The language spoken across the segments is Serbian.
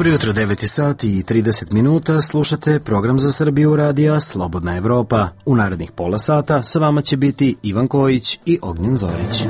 Dobro jutro, 9 sati i 30 minuta, slušate program za Srbiju radija Slobodna Evropa. U narednih pola sata sa vama će biti Ivan Kojić i Ognjen Zorić.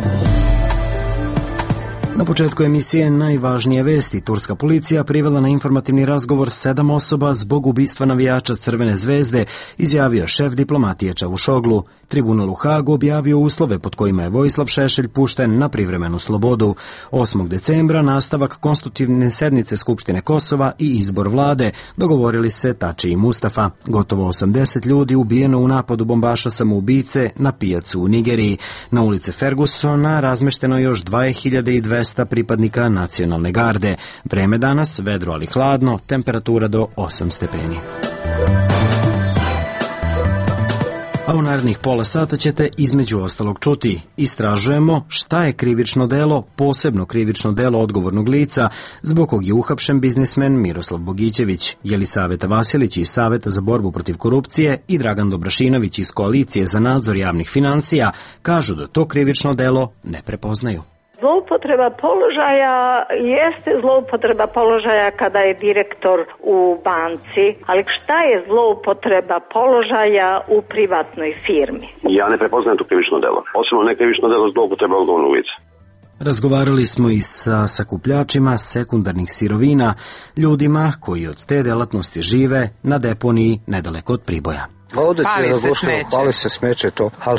Na početku emisije najvažnije vesti. Turska policija privela na informativni razgovor 7 osoba zbog ubistva navijača Crvene zvezde, izjavio šef diplomatije Čavušoglu. Tribunal u Hagu objavio uslove pod kojima je Vojislav Šešelj pušten na privremenu slobodu. 8. decembra nastavak konstitutivne sednice Skupštine Kosova i izbor vlade, dogovorili se Tači i Mustafa. Gotovo 80 ljudi ubijeno u napadu bombaša samoubice na pijacu u Nigeriji. Na ulice Fergusona razmešteno još 2200 pripadnika nacionalne garde. Vreme danas vedro ali hladno, temperatura do 8 stepeni. A u narednih pola sata ćete između ostalog čuti. Istražujemo šta je krivično delo, posebno krivično delo odgovornog lica, zbog kog je uhapšen biznismen Miroslav Bogićević. Jelisaveta Vasilić iz Saveta za borbu protiv korupcije i Dragan Dobrašinović iz Koalicije za nadzor javnih finansija kažu da to krivično delo ne prepoznaju. Zloupotreba položaja jeste zloupotreba položaja kada je direktor u banci, ali šta je zloupotreba položaja u privatnoj firmi? Ja ne prepoznajem to krivično delo. Posebno ne krivično delo zloupotreba odgovornog lica. Razgovarali smo i sa sakupljačima sekundarnih sirovina, ljudima koji od te delatnosti žive na deponiji nedaleko od Priboja. Ovdje pali se smeće to, ali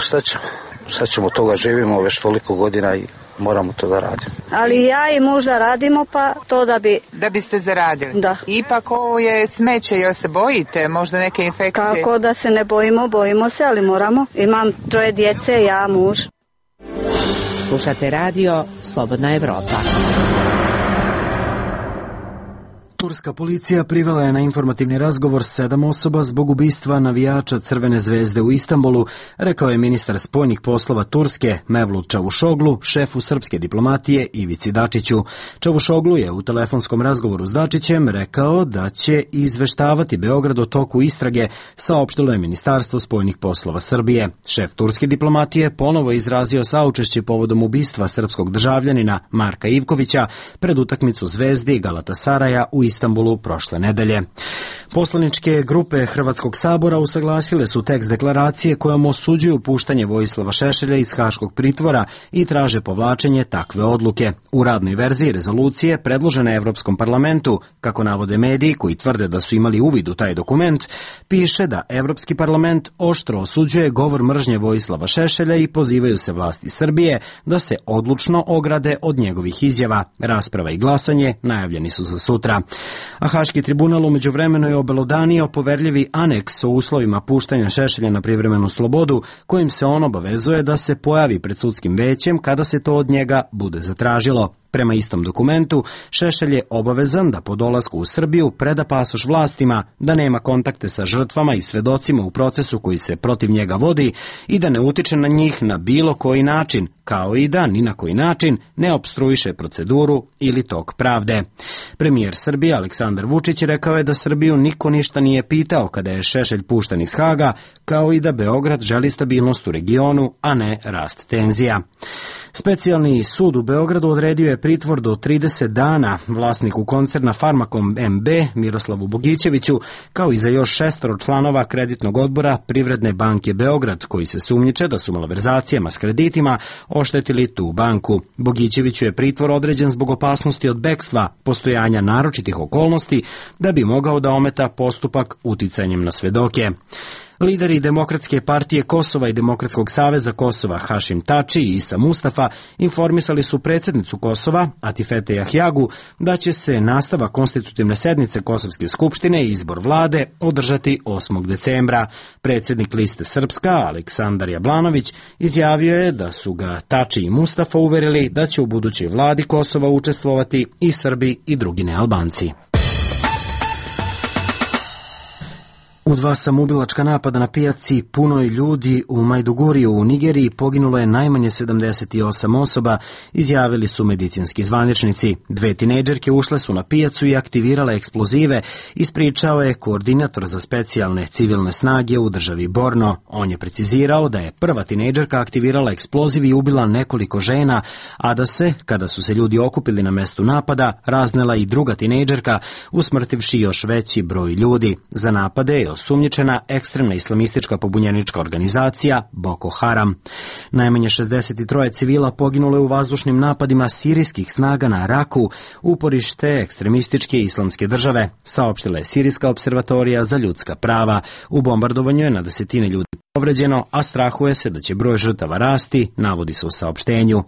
šta ćemo toga, živimo već toliko godina i moramo to da radimo. Ali ja i muž da radimo, pa to Da biste zaradili? Da. Ipak ovo je smeće, jel se bojite? Možda neke infekcije? Kako da se ne bojimo, bojimo se, ali moramo. Imam 3 djece, ja, muž. Slušate radio Slobodna Evropa. Turska policija privela je na informativni razgovor 7 osoba zbog ubistva navijača Crvene zvezde u Istanbulu, rekao je ministar spoljnih poslova Turske Mevlut Čavušoglu šefu srpske diplomatije Ivici Dačiću. Čavušoglu je u telefonskom razgovoru s Dačićem rekao da će izveštavati Beograd o toku istrage, saopštilo je Ministarstvo spoljnih poslova Srbije. Šef turske diplomatije ponovo je izrazio saučešće povodom ubistva srpskog državljanina Marka Ivkovića pred utakmicu Zvezdi i Galatasaraja u Istanbulu prošle nedelje. Poslaničke grupe Hrvatskog sabora usaglasile su tekst deklaracije kojom osuđuju puštanje Vojislava Šešelja iz haškog pritvora i traže povlačenje takve odluke. U radnoj verziji rezolucije predložene Evropskom parlamentu, kako navode mediji koji tvrde da su imali uvid u taj dokument, piše da Evropski parlament oštro osuđuje govor mržnje Vojislava Šešelja i pozivaju se vlasti Srbije da se odlučno ograde od njegovih izjava. Rasprava i glasanje najavljeni su za sutra. A Haški tribunal umeđu vremenu je obelodanio poverljivi aneks o uslovima puštanja Šešelja na privremenu slobodu, kojim se on obavezuje da se pojavi pred sudskim većem kada se to od njega bude zatražilo. Prema istom dokumentu, Šešelj je obavezan da po dolasku u Srbiju preda pasoš vlastima, da nema kontakte sa žrtvama i svedocima u procesu koji se protiv njega vodi i da ne utiče na njih na bilo koji način, kao i da ni na koji način ne opstruiše proceduru ili tok pravde. Premijer Srbije Aleksandar Vučić rekao je da Srbiju niko ništa nije pitao kada je Šešelj pušten iz Haga, kao i da Beograd želi stabilnost u regionu, a ne rast tenzija. Specijalni sud u Beogradu odredio je pritvor do 30 dana vlasniku koncerna Farmakom MB Miroslavu Bogićeviću, kao i za još 6 članova kreditnog odbora Privredne banke Beograd, koji se sumnjiče da su malverzacijama s kreditima oštetili tu banku. Bogićeviću je pritvor određen zbog opasnosti od bekstva, postojanja naročitih okolnosti, da bi mogao da ometa postupak uticanjem na svedoke. Lideri Demokratske partije Kosova i Demokratskog saveza Kosova Hašim Tači i Isa Mustafa informisali su predsjednicu Kosova, Atifete Jahjagu, da će se nastavak konstitutivne sednice Kosovske skupštine i izbor vlade održati 8. decembra. Predsjednik Liste Srpska, Aleksandar Jablanović, izjavio je da su ga Tači i Mustafa uverili da će u budućoj vladi Kosova učestvovati i Srbi i drugi nealbanci. U 2 samoubilačka napada na pijaci punoj ljudi u Majduguriju u Nigeriji poginulo je najmanje 78 osoba, izjavili su medicinski zvaničnici. 2 tinejdžerke ušle su na pijacu i aktivirale eksplozive, ispričao je koordinator za specijalne civilne snage u državi Borno. On je precizirao da je prva tinejdžerka aktivirala eksploziv i ubila nekoliko žena, a da se, kada su se ljudi okupili na mestu napada, raznela i druga tinejdžerka, usmrtivši još veći broj ljudi. Za napade je osumnjičena ekstremna islamistička pobunjenička organizacija Boko Haram. Najmanje 63 civila poginulo je u vazdušnim napadima sirijskih snaga na Raku, uporište ekstremističke islamske države, saopštila je Sirijska observatorija za ljudska prava. U bombardovanju je na desetine ljudi povređeno, a strahuje se da će broj žrtava rasti, navodi se u saopštenju.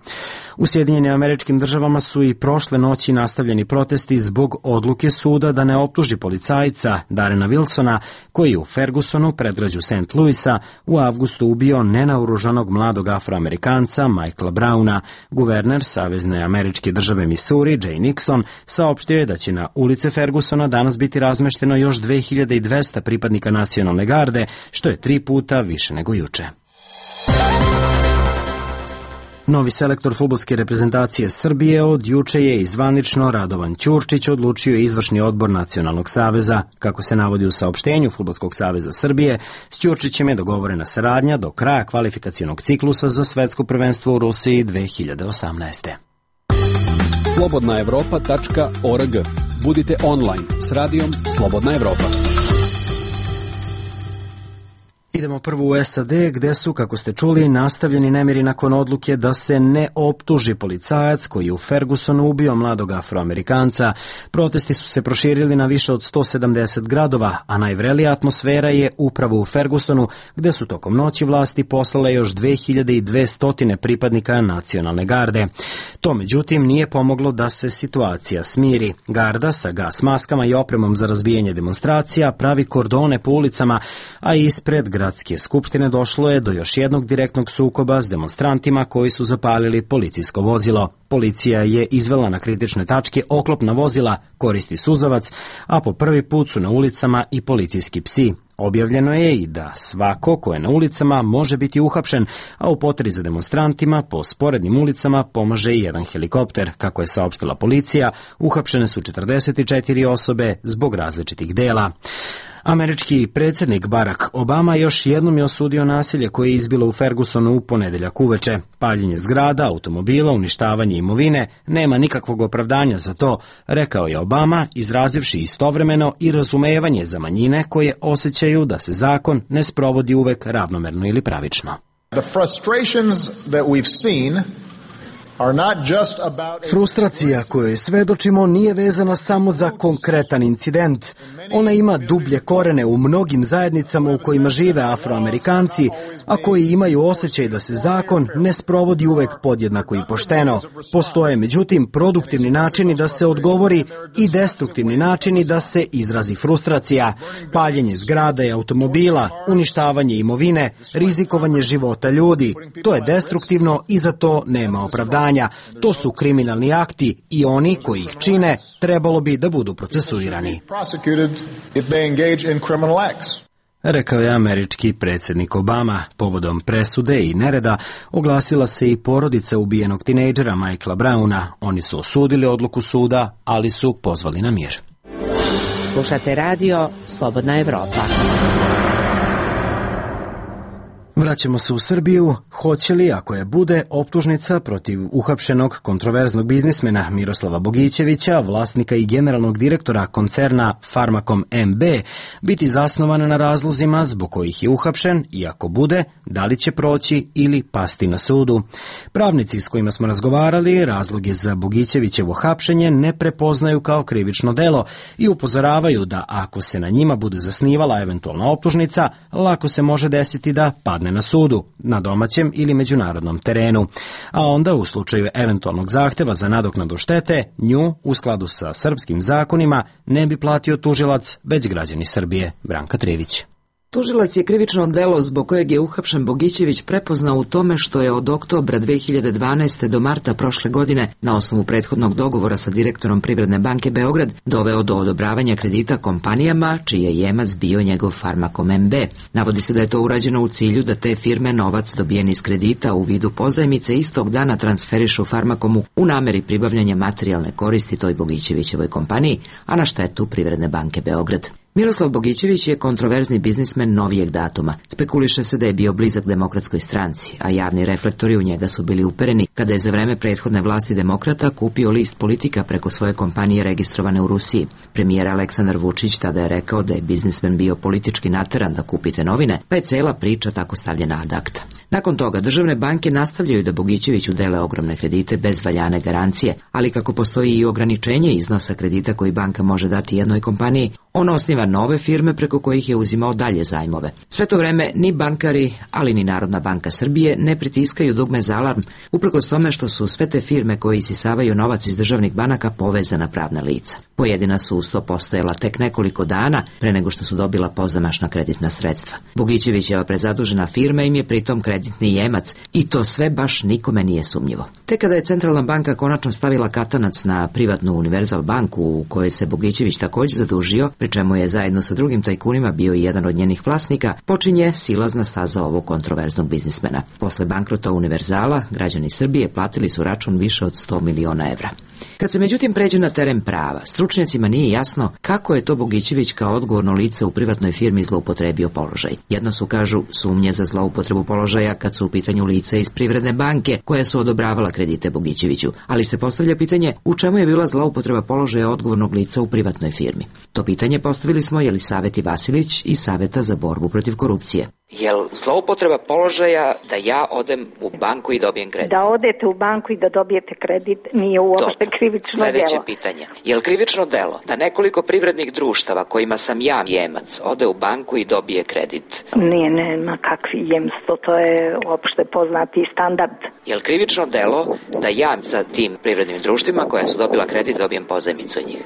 U Sjedinjenim Američkim Državama su i prošle noći nastavljeni protesti zbog odluke suda da ne optuži policajca Darrena Wilsona, koji je u Fergusonu, predgrađu St. Louisa, u avgustu ubio nenaoružanog mladog Afroamerikanca Michaela Browna. Guverner Savezne američke države Missouri, Jay Nixon, saopštio je da će na ulice Fergusona danas biti razmešteno još 2200 pripadnika nacionalne garde, što je 3 puta više nego juče. Novi selektor fudbalske reprezentacije Srbije od juče je i zvanično Radovan Ćurčić odlučio izvršni odbor Nacionalnog saveza. Kako se navodi u saopštenju Fudbalskog saveza Srbije, s Ćurčićem je dogovorena saradnja do kraja kvalifikacionog ciklusa za svetsko prvenstvo u Rusiji 2018. Slobodnaevropa.org. Budite online s radijom Slobodna Evropa. Idemo prvo u SAD, gde su, kako ste čuli, nastavljeni nemiri nakon odluke da se ne optuži policajac koji je u Fergusonu ubio mladog Afroamerikanca. Protesti su se proširili na više od 170 gradova, a najvrelija atmosfera je upravo u Fergusonu, gde su tokom noći vlasti poslale još 2200 pripadnika nacionalne garde. To, međutim, nije pomoglo da se situacija smiri. Garda sa gas maskama i opremom za razbijanje demonstracija pravi kordone po ulicama, a ispred Gradske skupštine došlo je do još jednog direktnog sukoba s demonstrantima koji su zapalili policijsko vozilo. Policija je izvela na kritične tačke oklopna vozila, koristi suzavac, a po prvi put su na ulicama i policijski psi. Objavljeno je i da svako ko je na ulicama može biti uhapšen, a u potrazi za demonstrantima po sporednim ulicama pomaže i jedan helikopter. Kako je saopštila policija, uhapšene su 44 osobe zbog različitih dela. Američki predsjednik Barack Obama još jednom je osudio nasilje koje je izbilo u Fergusonu u ponedeljak uveče. Paljenje zgrada, automobila, uništavanje imovine, nema nikakvog opravdanja za to, rekao je Obama, izrazivši istovremeno i razumevanje za manjine koje osjećaju da se zakon ne sprovodi uvek ravnomerno ili pravično. Frustracija kojoj svedočimo nije vezana samo za konkretan incident. Ona ima dublje korene u mnogim zajednicama u kojima žive Afroamerikanci, a koji imaju osjećaj da se zakon ne sprovodi uvek podjednako i pošteno. Postoje, međutim, produktivni načini da se odgovori i destruktivni načini da se izrazi frustracija. Paljenje zgrada i automobila, uništavanje imovine, rizikovanje života ljudi. To je destruktivno i za to nema opravdanja. To su kriminalni akti i oni koji ih čine trebalo bi da budu procesuirani, rekao je američki predsjednik Obama. Povodom presude i nereda oglasila se i porodica ubijenog tinejdžera Michaela Browna. Oni su osudili odluku suda, ali su pozvali na mir. Slušate radio Slobodna Evropa. Vraćamo se u Srbiju. Hoće li, ako je bude, optužnica protiv uhapšenog kontroverznog biznismena Miroslava Bogićevića, vlasnika i generalnog direktora koncerna Farmakom MB, biti zasnovana na razlozima zbog kojih je uhapšen i ako bude, da li će proći ili pasti na sudu? Pravnici s kojima smo razgovarali razloge za Bogićevićevo hapšenje ne prepoznaju kao krivično delo i upozoravaju da ako se na njima bude zasnivala eventualna optužnica, lako se može desiti da padne na sudu, na domaćem ili međunarodnom terenu. A onda, u slučaju eventualnog zahteva za nadoknadu štete, nju, u skladu sa srpskim zakonima, ne bi platio tužilac, već građani Srbije. Branka Trivić. Tužilac je krivično delo zbog kojeg je uhapšen Bogićević prepoznao u tome što je od oktobra 2012. do marta prošle godine na osnovu prethodnog dogovora sa direktorom Privredne banke Beograd doveo do odobravanja kredita kompanijama čiji je jemac bio njegov Farmakom MB. Navodi se da je to urađeno u cilju da te firme novac dobijen iz kredita u vidu pozajmice istog dana transferišu Farmakomu u nameri pribavljanja materijalne koristi toj Bogićevićevoj kompaniji, a na štetu Privredne banke Beograd. Miroslav Bogićević je kontroverzni biznismen novijeg datuma. Spekuliše se da je bio blizak Demokratskoj stranci, a javni reflektori u njega su bili upereni kada je za vreme prethodne vlasti demokrata kupio list Politika preko svoje kompanije registrovane u Rusiji. Premijer Aleksandar Vučić tada je rekao da je biznismen bio politički nateran da kupite novine, pa je cela priča tako stavljena ad acta. Nakon toga državne banke nastavljaju da Bogićeviću dele ogromne kredite bez valjane garancije, ali kako postoji i ograničenje iznosa kredita koji banka može dati jednoj kompaniji, on osniva nove firme preko kojih je uzimao dalje zajmove. Sve to vreme ni bankari, ali ni Narodna banka Srbije ne pritiskaju dugme za alarm, uprkos tome što su sve te firme koje isisavaju novac iz državnih banaka povezana pravna lica. Pojedina su uz to postojala tek nekoliko dana pre nego što su dobila pozamašna kreditna sredstva. Bogićevićeva prezadužena firma im je pritom kreditni jemac i to sve baš nikome nije sumnjivo. Tek kada je Centralna banka konačno stavila katanac na privatnu Univerzal banku u kojoj se Bogićević također zadužio, pri čemu je zajedno sa drugim tajkunima bio i jedan od njenih vlasnika, počinje silazna staza ovog kontroverznog biznismena. Posle bankrota Univerzala, građani Srbije platili su račun više od 100 miliona evra. Kad se međutim pređe na teren prava, stručnjacima nije jasno kako je to Bogićević kao odgovorno lice u privatnoj firmi zloupotrebio položaj. Jedno su, kažu, sumnje za zloupotrebu položaja kad su u pitanju lica iz Privredne banke koja su odobravala kredite Bogićeviću, ali se postavlja pitanje u čemu je bila zloupotreba položaja odgovornog lica u privatnoj firmi. To pitanje postavili smo Jelisaveti Vasilić iz Saveta za borbu protiv korupcije. Jel zloupotreba položaja da ja odem u banku i dobijem kredit? Da odete u banku i da dobijete kredit nije uopšte krivično delo. Sledeće pitanje. Jel krivično delo da nekoliko privrednih društava kojima sam ja jemac ode u banku i dobije kredit? Nije, nema kakvi jemstvo, to je uopšte poznati standard. Jel krivično delo da ja sa tim privrednim društvima koja su dobila kredit dobijem pozajmicu od njih?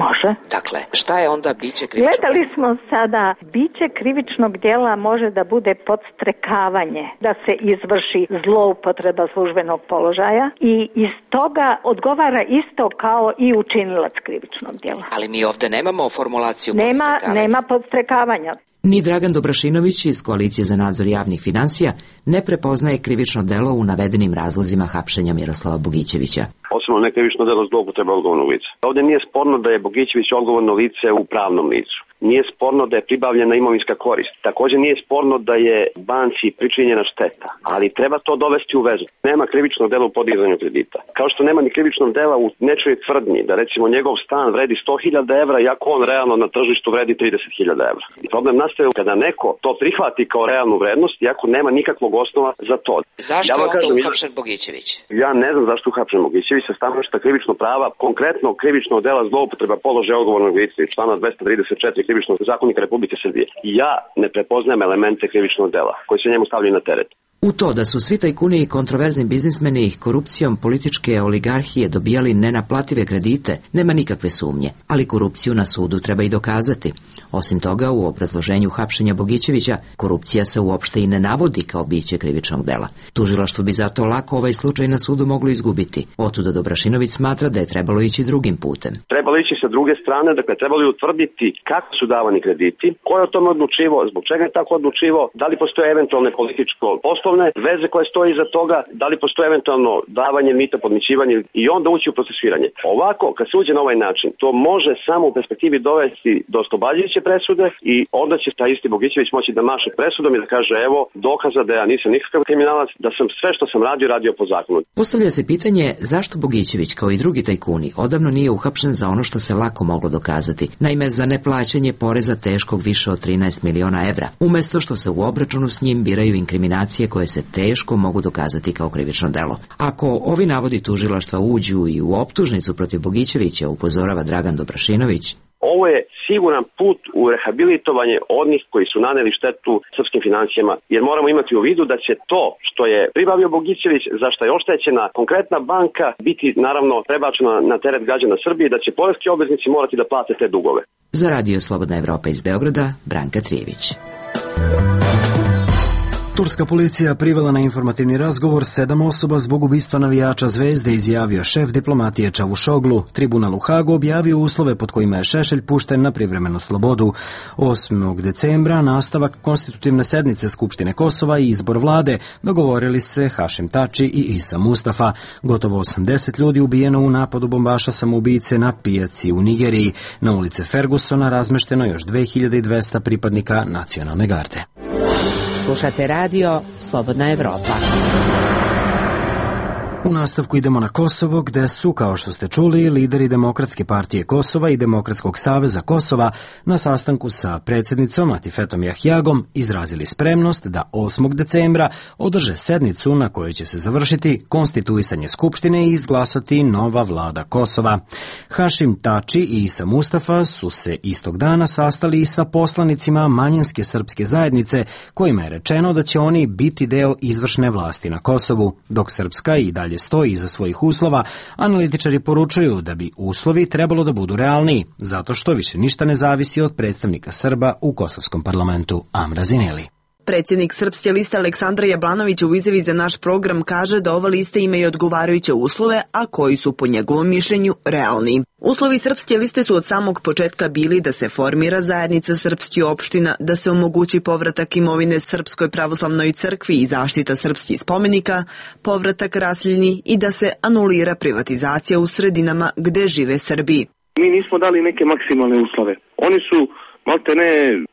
Može. Dakle, šta je onda biće krivičnog? Gledali smo sada, biće krivičnog djela može da bude podstrekavanje, da se izvrši zloupotreba službenog položaja i iz toga odgovara isto kao i učinilac krivičnog djela. Ali mi ovde nemamo formulaciju podstrekavanja. Nema podstrekavanja. Ni Dragan Dobrašinović iz Koalicije za nadzor javnih finansija ne prepoznaje krivično delo u navedenim razlozima hapšenja Miroslava Bogićevića. Osim nekrivično delo zloupotreba odgovornog lica. Ovdje nije sporno da je Bogićević odgovorno lice u pravnom licu. Nije sporno da je pribavljena imovinska korist. Također nije sporno da je banci pričinjena šteta, ali treba to dovesti u vezu. Nema krivičnog dela u podizanju kredita. Kao što nema ni krivičnog dela u nečoj tvrdnji da recimo njegov stan vredi 100.000 evra, iako on realno na tržištu vredi 30.000 evra. I problem nastaje kada neko to prihvati kao realnu vrednost, iako nema nikakvog osnova za to. Zašto je onda uhapšen Bogićević? Ja ne znam zašto uhapšen Bogićević sa stanovišta krivičnog prava, konkretno krivičnog dela zloupotreba položaja odgovornog lica iz člana 234 krivičnog zakonika Republike Srbije. Ja ne prepoznajem elemente krivičnog dela koji se njemu stavljaju na teret. U to da su svi tajkuni i kontroverzni biznismeni korupcijom političke oligarhije dobijali nenaplative kredite, nema nikakve sumnje, ali korupciju na sudu treba i dokazati. Osim toga, u obrazloženju hapšenja Bogićevića, korupcija se uopšte i ne navodi kao biće krivičnog dela. Tužilaštvo bi zato lako ovaj slučaj na sudu moglo izgubiti. Otuda Dobrašinović smatra da je trebalo ići drugim putem. Trebalo ići sa druge strane, dakle trebalo je utvrditi kako su davani krediti, ko je o tome odlučivao, zbog čega je tako odlučivao, da li postoje eventualne političko-poslovne veze koje stoji iza toga, da li postoje eventualno davanje mita, podmićivanje i onda ući u procesuiranje. Ovako, kad se uđe na ovaj način, to može samo u perspektivi dovesti do oslobađajuće presude i onda će taj isti Bogićević moći da maše presudom i da kaže evo dokaza da ja nisam nikakav kriminalac, da sam sve što sam radio po zakonu. Postavlja se pitanje zašto Bogićević kao i drugi tajkuni odavno nije uhapšen za ono što se lako moglo dokazati. Naime, za neplaćanje poreza teškog više od 13 miliona evra, umesto što se u obračunu s njim biraju inkriminacije koje se teško mogu dokazati kao krivično delo. Ako ovi navodi tužilaštva uđu i u optužnicu protiv Bogićevića, upozorava Dragan Dobrašinović, ovo je siguran put u rehabilitovanje onih koji su naneli štetu srpskim financijama, jer moramo imati u vidu da će to što je pribavio Bogićević, za što je oštećena konkretna banka, biti naravno prebačena na teret građana Srbije, da će poreski obveznici morati da plate te dugove. Za Radio Slobodna Evropa iz Beograda, Branka Trijević. Turska policija privela na informativni razgovor 7 osoba zbog ubistva navijača Zvezde, izjavio šef diplomatije Čavušoglu. Tribunal u Hagu objavio uslove pod kojima je Šešelj pušten na privremenu slobodu. 8. decembra nastavak konstitutivne sednice Skupštine Kosova i izbor vlade, dogovorili se Hašim Tači i Isa Mustafa. Gotovo 80 ljudi ubijeno u napadu bombaša samoubice na pijaci u Nigeriji. Na ulice Fergusona razmešteno još 2200 pripadnika nacionalne garde. Slušate radio Slobodna Evropa. U nastavku idemo na Kosovo, gde su, kao što ste čuli, lideri Demokratske partije Kosova i Demokratskog saveza Kosova na sastanku sa predsjednicom Atifetom Jahjagom izrazili spremnost da 8. decembra održe sednicu na kojoj će se završiti konstituisanje Skupštine i izglasati nova vlada Kosova. Hašim Tači i Isa Mustafa su se istog dana sastali i sa poslanicima manjinske srpske zajednice, kojima je rečeno da će oni biti deo izvršne vlasti na Kosovu, dok Srpska i dalje stoji iza svojih uslova. Analitičari poručuju da bi uslovi trebalo da budu realniji, zato što više ništa ne zavisi od predstavnika Srba u kosovskom parlamentu. Amra Zineli. Predsjednik Srpske liste Aleksandar Jablanović u izjavi za naš program kaže da ova lista ima i odgovarajuće uslove, a koji su po njegovom mišljenju realni. Uslovi Srpske liste su od samog početka bili da se formira zajednica srpskih opština, da se omogući povratak imovine Srpskoj pravoslavnoj crkvi i zaštita srpskih spomenika, povratak raseljeni i da se anulira privatizacija u sredinama gde žive Srbi. Mi nismo dali neke maksimalne uslove. Oni su malte ne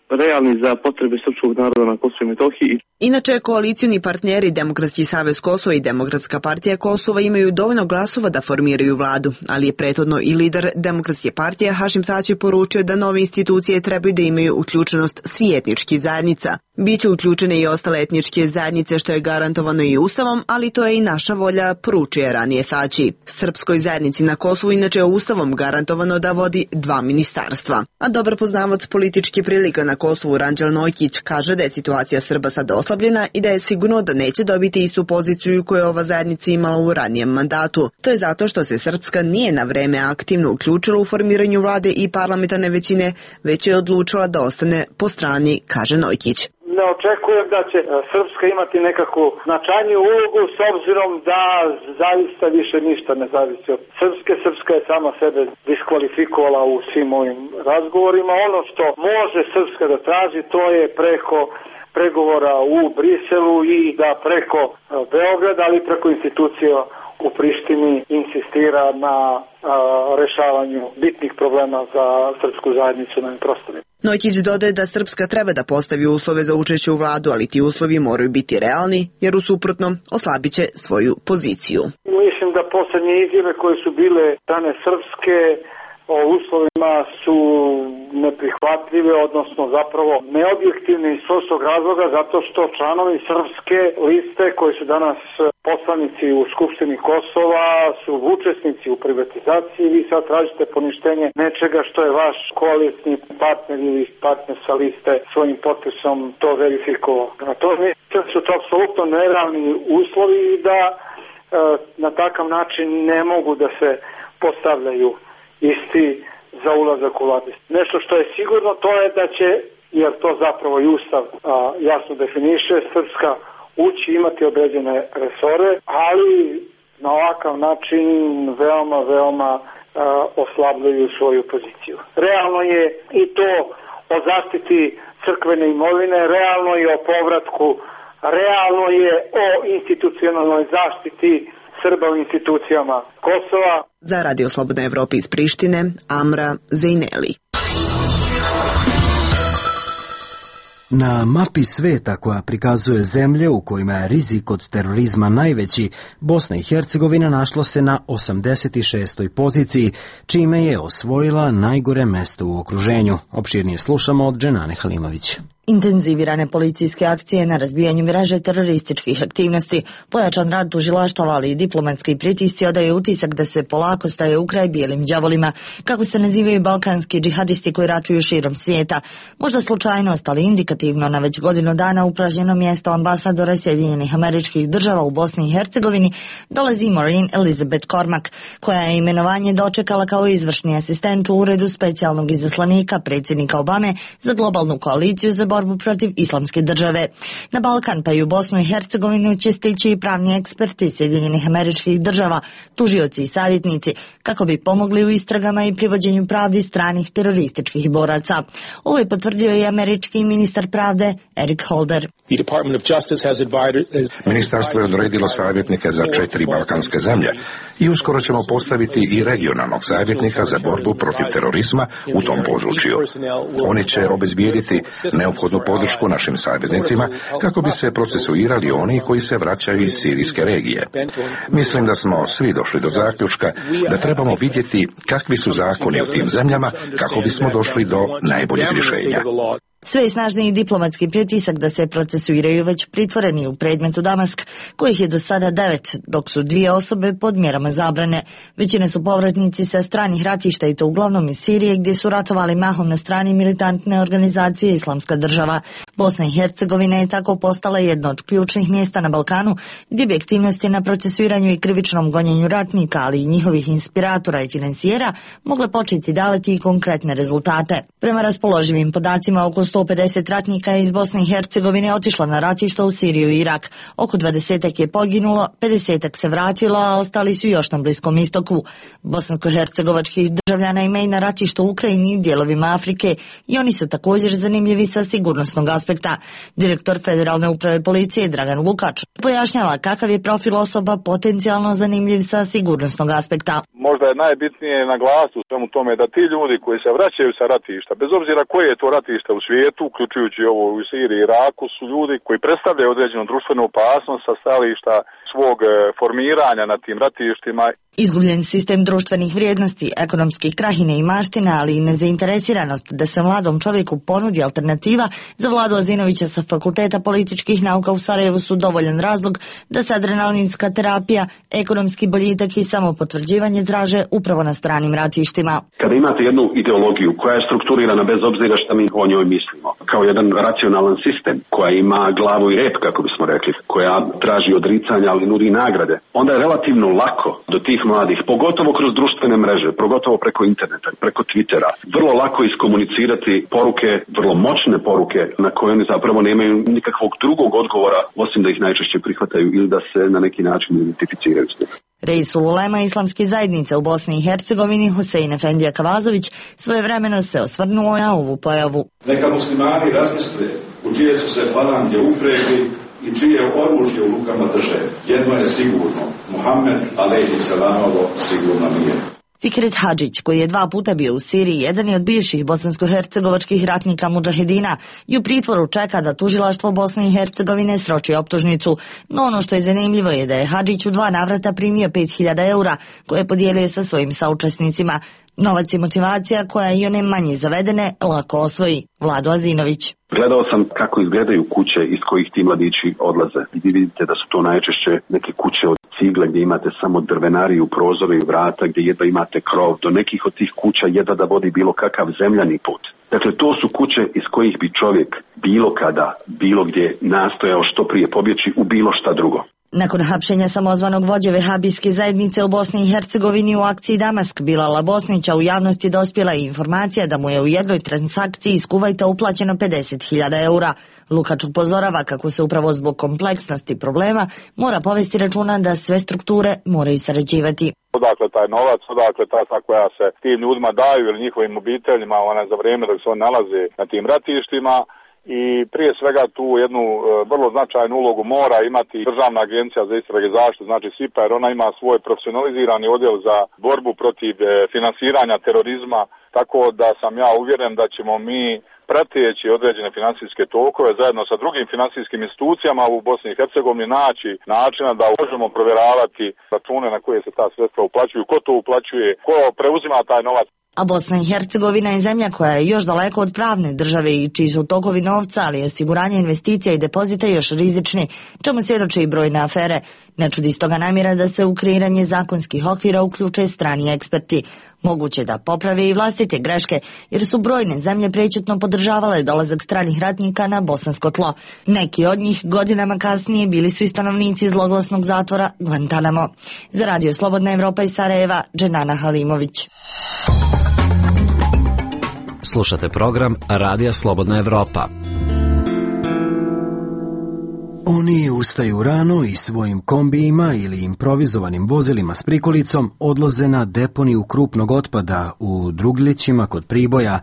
realni za potrebe srpskog naroda na Kosovu i Metohiji. Inače, koalicijni partneri Demokratski savez Kosova i Demokratska partija Kosova imaju dovoljno glasova da formiraju vladu, ali je prethodno i lider Demokratske partije Hašim Tači poručio da nove institucije trebaju da imaju uključenost svih etničkih zajednica. Biće uključene i ostale etničke zajednice, što je garantovano i Ustavom, ali to je i naša volja, poručuje ranije Tači. Srpskoj zajednici na Kosovu inače je Ustavom garantovano da vodi 2 ministarstva. A dobar poznavac političke prilika na Kosovu Ranđel Nojkić kaže da je situacija Srba sad oslabljena i da je sigurno da neće dobiti istu poziciju koju je ova zajednica imala u ranijem mandatu. To je zato što se Srpska nije na vreme aktivno uključila u formiranju vlade i parlamentarne većine, već je odlučila da ostane po strani, kaže Nojkić. Ne očekujem da će Srpska imati nekakvu značajniju ulogu s obzirom da zaista više ništa ne zavisi od Srpske. Srpska je sama sebe diskvalifikovala u svim ovim razgovorima. Ono što može Srpska da traži, to je preko pregovora u Briselu i da preko Beograda, ali preko institucija u Prištini insistira na rešavanju bitnih problema za srpsku zajednicu na ovim prostorima. Nojkić dodaje da Srpska treba da postavi uslove za učešće u vladu, ali ti uslovi moraju biti realni, jer u suprotnom oslabiće svoju poziciju. Mislim da poslednje izjave koje su bile strane Srpske o uslovima su neprihvatljive, odnosno zapravo neobjektivne iz prostog razloga, zato što članovi Srpske liste koji su danas poslanici u Skupštini Kosova su učesnici u privatizaciji. Vi sad tražite poništenje nečega što je vaš koalicijni partner ili partner sa liste svojim potpisom to verifikovao. Na to mislim su to apsolutno nerealni uslovi i da na takav način ne mogu da se postavljaju isti za ulazak u vladu. Nešto što je sigurno to je da će, jer to zapravo i Ustav jasno definiše, Srpska ući imati određene resore, ali na ovakav način veoma oslabljaju svoju poziciju. Realno je i to o zaštiti crkvene imovine, realno je o povratku, realno je o institucionalnoj zaštiti Srba u institucijama Kosova. Za Radio Slobodna Evropa iz Prištine, Amra Zejneli. Na mapi sveta koja prikazuje zemlje u kojima je rizik od terorizma najveći, Bosna i Hercegovina našla se na 86. poziciji, čime je osvojila najgore mesto u okruženju. Opširnije slušamo od Dženane Halimović. Intenzivirane policijske akcije na razbijanju mreže terorističkih aktivnosti, pojačan rad tužilaštava, ali i diplomatski pritisci odaju utisak da se polako staje u kraj bijelim đavolima, kako se nazivaju balkanski džihadisti koji ratuju širom svijeta. Možda slučajnost, ali indikativno na već godinu dana upražnjeno mjesto ambasadora Sjedinjenih Američkih Država u Bosni i Hercegovini dolazi Maureen Elizabeth Cormack, koja je imenovanje dočekala kao izvršni asistent u uredu specijalnog izaslanika predsjednika Obame za globalnu koaliciju za borbu protiv islamske države. Na Balkan pa i u Bosnu i Hercegovinu će stići i pravni eksperti Sjedinjenih Američkih Država, tužioci i savjetnici, kako bi pomogli u istragama i privođenju pravdi stranih terorističkih boraca. Ovo je potvrdio i američki ministar pravde Eric Holder. Ministarstvo je odredilo savjetnike za 4 balkanske zemlje i uskoro ćemo postaviti i regionalnog savjetnika za borbu protiv terorizma u tom području. Oni će obezbijediti neophodnu podršku našim saveznicima kako bi se procesuirali oni koji se vraćaju iz sirijske regije. Mislim da smo svi došli do zaključka da trebamo vidjeti kakvi su zakoni u tim zemljama kako bismo došli do najboljeg rješenja. Sve je snažniji diplomatski pritisak da se procesuiraju već pritvoreni u predmetu Damask, kojih je do sada 9, dok su 2 osobe pod mjerama zabrane. Većine su povratnici sa stranih ratišta i to uglavnom iz Sirije, gdje su ratovali mahom na strani militantne organizacije Islamska država. Bosna i Hercegovina je tako postala jedno od ključnih mjesta na Balkanu, gdje bi aktivnosti na procesuiranju i krivičnom gonjenju ratnika, ali i njihovih inspiratora i financijera, mogle početi davati i konkretne rezultate. Prema raspoloživim podacima, oko 150 ratnika je iz Bosne i Hercegovine otišlo na ratišta u Siriju i Irak. Oko 20 je poginulo, 50 se vratilo, a ostali su još na Bliskom istoku. Bosansko-hercegovačkih državljana ima i na ratištu u Ukrajini i dijelovima Afrike i oni su također zanimljivi sa sigurnosnog aspekta. Direktor Federalne uprave policije Dragan Lukač pojašnjava kakav je profil osoba potencijalno zanimljiv sa sigurnosnog aspekta. Možda je najbitnije naglasiti u svemu tome da ti ljudi koji se vraćaju sa ratišta, bez obzira koje je to ratište u svijetu, uključujući ovo u Siriji i Iraku, su ljudi koji predstavljaju određenu društvenu opasnost sa stajališta svog formiranja na tim ratištima. Izgubljen sistem društvenih vrijednosti, ekonomski krah i neimaština, ali i nezainteresiranost da se mladom čovjeku ponudi alternativa za Vladu Azinovića sa Fakulteta političkih nauka u Sarajevu su dovoljan razlog da se adrenalinska terapija, ekonomski boljitak i samopotvrđivanje traže upravo na stranim ratištima. Kada imate jednu ideologiju koja je strukturirana bez obzira šta mi o njoj mislimo, kao jedan racionalan sistem koja ima glavu i rep, kako bismo rekli, koja traži odricanja ali nudi nagrade, onda je relativno lako do tih mladih, pogotovo kroz društvene mreže, pogotovo preko interneta, preko Twittera, vrlo lako iskomunicirati poruke, vrlo moćne poruke na koje oni zapravo nemaju nikakvog drugog odgovora osim da ih najčešće prihvataju ili da se na neki način identificiraju s njim. Reisul ulema islamske zajednice u Bosni i Hercegovini Husein Efendija Kavazović svojevremeno se osvrnuo na ovu pojavu. Neka muslimani razmisle u čije su se falange upregli i čije oružje u rukama drže. Jedno je sigurno, Muhammed alejhi selanovo sigurno nije. Fikret Hadžić, koji je 2 puta bio u Siriji, jedan je od bivših bosansko-hercegovačkih ratnika mudžahedina i u pritvoru čeka da tužilaštvo Bosne i Hercegovine sroči optužnicu. No ono što je zanimljivo je da je Hadžić u 2 navrata primio 5.000 eura koje je podijelio sa svojim saučesnicima. Novac je motivacija koja i one manje zavedene lako osvoji. Vlado Azinović. Gledao sam kako izgledaju kuće iz kojih ti mladići odlaze. I vi vidite da su to najčešće neke kuće od cigle gdje imate samo drvenariju, prozore i vrata, gdje jedva imate krov. Do nekih od tih kuća jedva da vodi bilo kakav zemljani put. Dakle, to su kuće iz kojih bi čovjek bilo kada, bilo gdje nastojao što prije pobjeći u bilo šta drugo. Nakon hapšenja samozvanog vođe vehabijske zajednice u Bosni i Hercegovini u akciji Damask Bilala Bosnića u javnosti dospjela i informacija da mu je u jednoj transakciji iz Kuvajta uplaćeno 50.000 eura. Lukač upozorava kako se upravo zbog kompleksnosti problema mora povesti računa da sve strukture moraju sarađivati. Odakle taj novac, odakle ta koja se tim ljudima daju ili njihovim obiteljima za vrijeme dok se oni nalaze na tim ratištima. I prije svega tu jednu vrlo značajnu ulogu mora imati Državna agencija za istrage i zaštitu, znači SIPA, jer ona ima svoj profesionalizirani odjel za borbu protiv finansiranja terorizma, tako da sam ja uvjeren da ćemo mi prateći određene financijske tokove zajedno sa drugim financijskim institucijama u Bosni i Hercegovini naći načina da možemo provjeravati račune na koje se ta sredstva uplaćuju, ko to uplaćuje, ko preuzima taj novac. A Bosna i Hercegovina je zemlja koja je još daleko od pravne države i čiji su tokovi novca, ali i osiguranje investicija i depozita još rizični, čemu svjedoče i brojne afere. Ne čudi stoga namjera da se u kreiranje zakonskih okvira uključe strani eksperti. Moguće da poprave i vlastite greške, jer su brojne zemlje prečutno podržavale dolazak stranih ratnika na bosansko tlo. Neki od njih godinama kasnije bili su i stanovnici zloglasnog zatvora Guantanamo. Za Radio Slobodna Evropa iz Sarajeva, Dženana Halimović. Slušate program Radija Slobodna Evropa. Oni ustaju rano i svojim kombijima ili improvizovanim vozilima s prikolicom odlaze na deponiju krupnog otpada u Druglićima kod Priboja.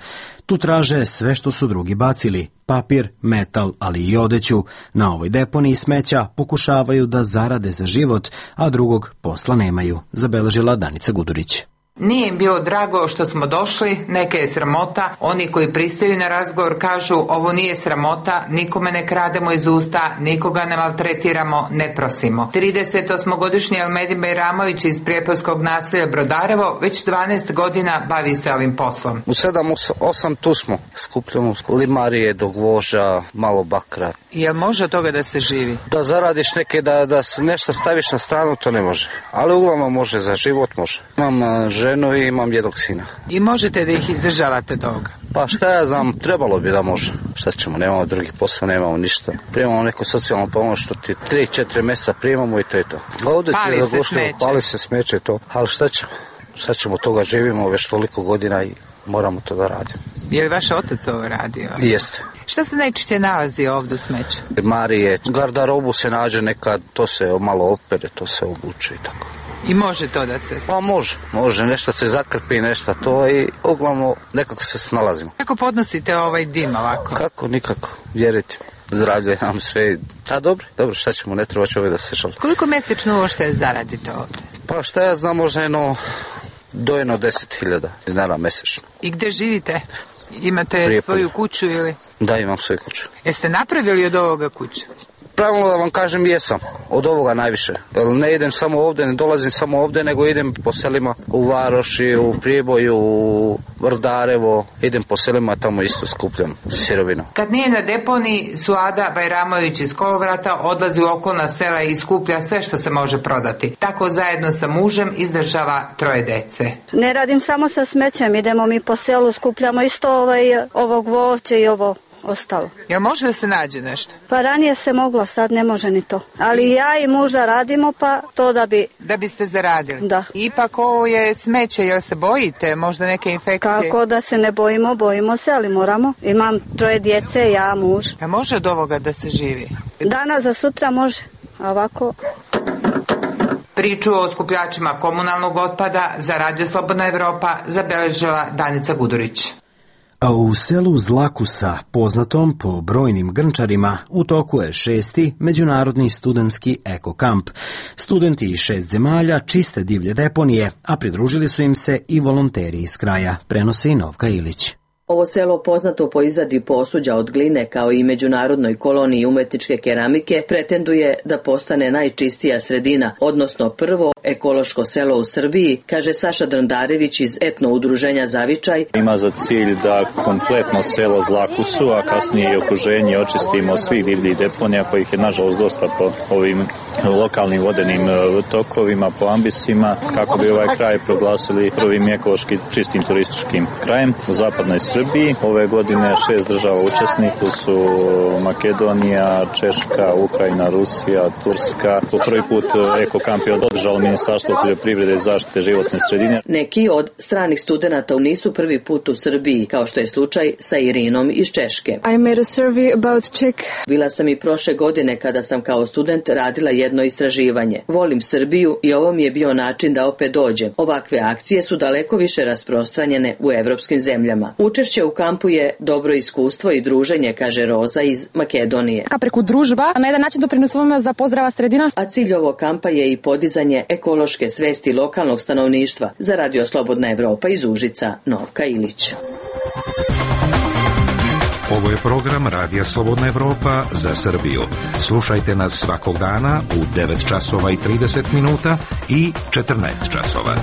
Tu traže sve što su drugi bacili, papir, metal, ali i odeću. Na ovoj deponiji smeća pokušavaju da zarade za život, a drugog posla nemaju, zabeležila Danica Gudurić. Nije im bilo drago što smo došli, neka je sramota, oni koji pristaju na razgovor kažu ovo nije sramota, nikome ne krademo iz usta, nikoga ne maltretiramo, ne prosimo. 38-godišnji Elmedin Bajramović iz Prijepolskog naselja Brodarevo već 12 godina bavi se ovim poslom. U 7-8 tu smo, skupljamo limarije do gvoža, malo bakra. Jel može od toga da se živi? Da zaradiš neke, da nešto staviš na stranu, to ne može. Ali uglavnom može, za život može. Imam ženu i imam jednog sina. I možete da ih izdržavate toga? Pa šta ja znam, trebalo bi da može. Šta ćemo, nemamo drugi posao, nemamo ništa. Primamo neku socijalnu pomoć, što ti 3-4 mjeseca primamo i to je to. Pali se smeće to. Ali šta ćemo, toga živimo već toliko godina i moramo to da radimo. Je li vaš otac ovo radio? Jeste. Šta se najčešće nalazi ovdje u smeću? Marije, gardarobu se nađe nekad, to se malo opere, to se obuče i tako. I može to da se... Pa može, nešto se zakrpi, nešto to i uglavnom nekako se snalazimo. Kako podnosite ovaj dim ovako? Kako, nikako, vjerujte. Zdravlje nam sve. A dobro, šta ćemo, ne treba čovjek da se šali. Koliko mjesečno uopšte zaradite ovdje? Pa šta ja znam, možda do 10.000 dinara mjesečno. I gdje živite? Imate svoju kuću ili? Da, imam svoju kuću. Jeste napravili od ovoga kuću? Pravilno da vam kažem, jesam. Od ovoga najviše. Ne idem samo ovdje, ne dolazim samo ovdje, nego idem po selima u Varoši, u Priboju, u Vrdarevo. Idem po selima, tamo isto skupljam sirovinu. Kad nije na deponiji, Suada Bajramović iz Kolovrata odlazi u okolna sela i skuplja sve što se može prodati. Tako zajedno sa mužem izdržava 3 dece. Ne radim samo sa smećem, idemo mi po selu, skupljamo isto ovo gvoće i ovo ostalo. Jel može da se nađe nešto? Pa ranije se moglo, sad ne može ni to. Ali ja i muž da radimo, pa to da bi... Da biste zaradili? Da. Ipak ovo je smeće, jel se bojite? Možda neke infekcije? Kako da se ne bojimo se, ali moramo. Imam 3 djece, ja, muž. A može od ovoga da se živi? Danas za sutra može, a ovako... Priču o skupljačima komunalnog otpada za Radio Slobodna Evropa zabeležila Danica Gudurić. A u selu Zlakusa, poznatom po brojnim grnčarima, u toku je 6. međunarodni studentski ekokamp. Studenti iz 6 zemalja čiste divlje deponije, a pridružili su im se i volonteri iz kraja, prenosi i Novka Ilić. Ovo selo, poznato po izradi posuđa od gline kao i međunarodnoj koloniji umetničke keramike, pretenduje da postane najčistija sredina, odnosno prvo ekološko selo u Srbiji, kaže Saša Drndarević iz etno udruženja Zavičaj. Ima za cilj da kompletno selo Zlakusu, a kasnije i okruženje očistimo svih divljih deponija, kojih je nažalost dosta po ovim lokalnim vodenim tokovima, po ambisima, kako bi ovaj kraj proglasili prvim ekološki čistim turističkim krajem u zapadnoj Srbiji. Ove godine 6 država učesnika su Makedonija, Češka, Ukrajina, Rusija, Turska. Po prvi put ekokamp je održalo Ministarstvo poljoprivrede i zaštite životne sredine. Neki od stranih studenata nisu prvi put u Srbiji, kao što je slučaj sa Irinom iz Češke. I made a survey about Czech. Bila sam i prošle godine kada sam kao student radila jedno istraživanje. Volim Srbiju i ovo mi je bio način da opet dođem. Ovakve akcije su daleko više rasprostranjene u evropskim zemljama. Učešće u kampu je dobro iskustvo i druženje, kaže Roza iz Makedonije. Preko družba na jedan način doprinosimo za pozdrava sredina. A cilj ovog kampa je i podizanje ekološke svesti lokalnog stanovništva. Za Radio Slobodna Evropa iz Užica, Novka Ilić. Ovo je program Radija Slobodna Evropa za Srbiju. Slušajte nas svakog dana u 9 časova i 30 minuta i 14 časova.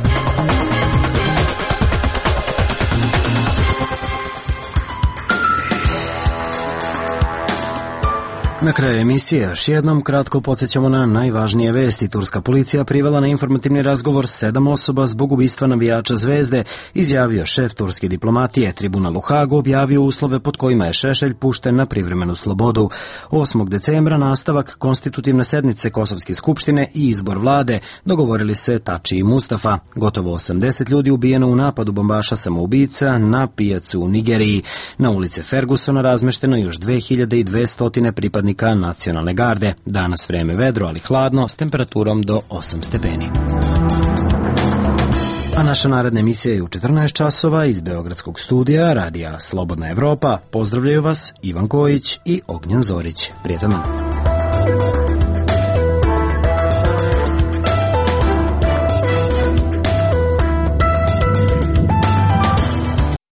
Na kraju emisije još jednom kratko podsjećamo na najvažnije vesti. Turska policija privela na informativni razgovor 7 osoba zbog ubistva navijača Zvezde, izjavio šef turske diplomatije. Tribunal u Hagu objavio uslove pod kojima je Šešelj pušten na privremenu slobodu. 8. decembra nastavak konstitutivne sednice Kosovske skupštine i izbor vlade, dogovorili se Tači i Mustafa. Gotovo 80 ljudi ubijeno u napadu bombaša samoubica na pijacu u Nigeriji. Na ulice Fergusona razmešteno još 2200 pripadnika pripadnika nacionalne garde. Danas vreme vedro, ali hladno, s temperaturom do 8 stepeni. A naša naredna emisija je u 14 časova iz Beogradskog studija Radija Slobodna Evropa. Pozdravljaju vas Ivan Kojić i Ognjen Zorić. Prijetan dan.